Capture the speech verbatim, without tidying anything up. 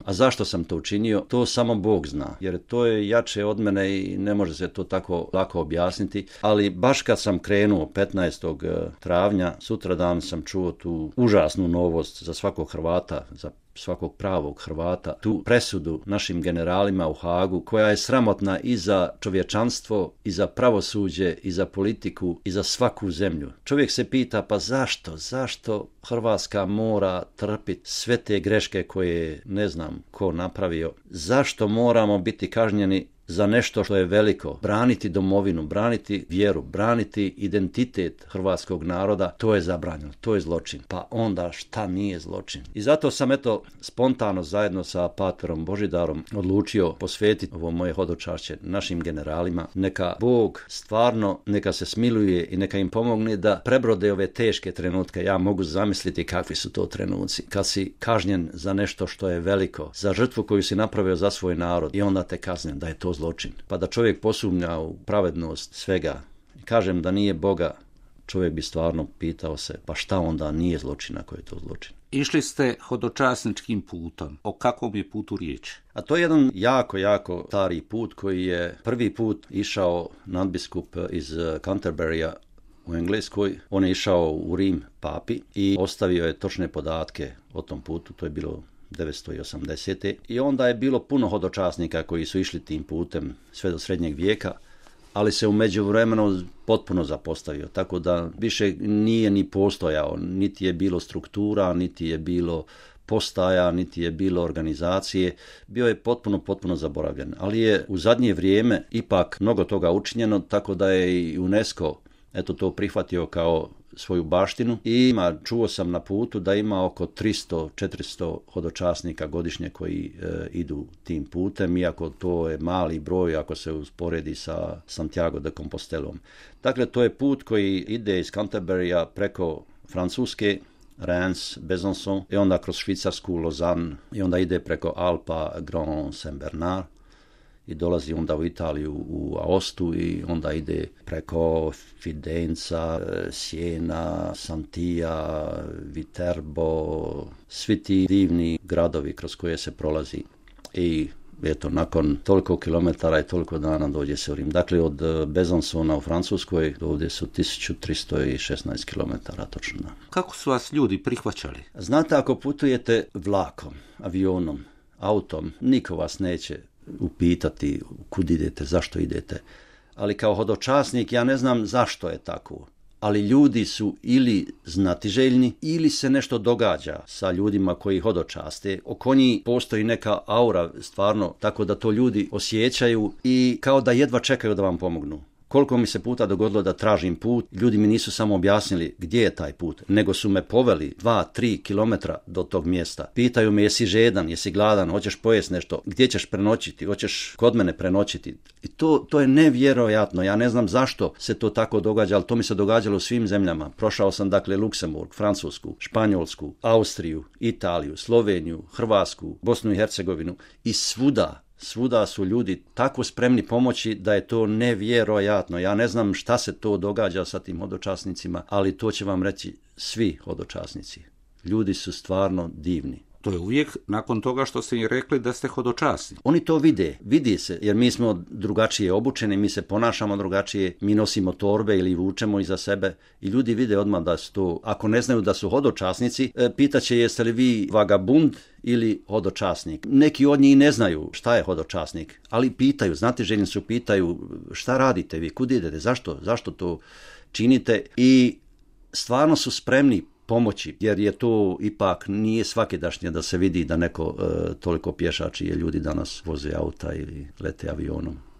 A zašto sam to učinio? To samo Bog zna, jer to je jače od mene i ne može se to tako lako objasniti, ali baš kad sam krenuo petnaestog travnja, sutradan sam čuo tu užasnu novost za svakog Hrvata, za svakog pravog Hrvata, tu presudu našim generalima u Hagu, koja je sramotna i za čovječanstvo, i za pravosuđe, i za politiku, i za svaku zemlju. Čovjek se pita, pa zašto, zašto Hrvatska mora trpiti sve te greške koje ne znam ko napravio? Zašto moramo biti kažnjeni za nešto što je veliko? Braniti domovinu, braniti vjeru, braniti identitet hrvatskog naroda, to je zabranjeno, to je zločin. Pa onda šta nije zločin? I zato sam eto spontano zajedno sa paterom Božidarom odlučio posvetiti ovo moje hodočašće našim generalima. Neka Bog stvarno, neka se smiluje i neka im pomogne da prebrode ove teške trenutke. Ja mogu zamisliti kakvi su to trenuci. Kad si kažnjen za nešto što je veliko, za žrtvu koju si napravio za svoj narod i onda te kazne da je to zločin. Pa da čovjek posumnja u pravednost svega. Kažem da nije Boga, čovjek bi stvarno pitao se, pa šta onda nije zločin ako je to zločin? Išli ste hodočasničkim putom. O kakvom je putu riječ? A to je jedan jako, jako stari put koji je prvi put išao nadbiskup iz Canterburya u Engleskoj. On je išao u Rim papi i ostavio je točne podatke o tom putu. To je bilo devetsto osamdesete. I onda je bilo puno hodočasnika koji su išli tim putem sve do srednjeg vijeka, ali se u međuvremenu potpuno zapostavio, tako da više nije ni postojao, niti je bilo struktura, niti je bilo postaja, niti je bilo organizacije, bio je potpuno, potpuno zaboravljen. Ali je u zadnje vrijeme ipak mnogo toga učinjeno, tako da je i UNESCO eto to prihvatio kao svoju baštinu i ima, čuo sam na putu da ima oko tristo do četiristo hodočasnika godišnje koji e, idu tim putem, iako to je mali broj ako se usporedi sa Santiago de Compostelom. Dakle, to je put koji ide iz Canterburya preko Francuske, Reims, Besançon i onda kroz Švicarsku, Lausanne i onda ide preko Alpa, Grand Saint-Bernard i dolazi onda u Italiju, u Aostu i onda ide preko Fidenza, Siena, Santija, Viterbo, svi ti divni gradovi kroz koje se prolazi. I eto, nakon toliko kilometara i toliko dana dođe se u Rim. Dakle, od Besançona u Francuskoj do ovdje su tisuću tristo šesnaest kilometara točno. Kako su vas ljudi prihvaćali? Znate, ako putujete vlakom, avionom, autom, niko vas neće upitati kud idete, zašto idete. Ali kao hodočasnik ja ne znam zašto je tako. Ali ljudi su ili znatiželjni ili se nešto događa sa ljudima koji hodočaste. Oko njih postoji neka aura stvarno, tako da to ljudi osjećaju i kao da jedva čekaju da vam pomognu. Koliko mi se puta dogodilo da tražim put, ljudi mi nisu samo objasnili gdje je taj put, nego su me poveli dva, tri kilometra do tog mjesta. Pitaju me jesi žedan, jesi gladan, hoćeš pojesti nešto, gdje ćeš prenoćiti, hoćeš kod mene prenoćiti. I to, to je nevjerojatno, ja ne znam zašto se to tako događa, ali to mi se događalo u svim zemljama. Prošao sam dakle Luksemburg, Francusku, Španjolsku, Austriju, Italiju, Sloveniju, Hrvatsku, Bosnu i Hercegovinu i svuda. Svuda su ljudi tako spremni pomoći da je to nevjerojatno. Ja ne znam šta se to događa sa tim hodočasnicima, ali to će vam reći svi hodočasnici. Ljudi su stvarno divni. To je uvijek nakon toga što ste im rekli da ste hodočasni. Oni to vide, vidi se, jer mi smo drugačije obučeni, mi se ponašamo drugačije, mi nosimo torbe ili vučemo iza sebe i ljudi vide odmah da su to, ako ne znaju da su hodočasnici, pitaće jeste li vi vagabund ili hodočasnik. Neki od njih ne znaju šta je hodočasnik, ali pitaju, znate, željni su pitaju šta radite vi, kud idete, zašto, zašto to činite i stvarno su spremni pomoći, jer je to ipak nije svakidašnje da se vidi da neko e, toliko pješači je ljudi danas voze auta ili lete avionom.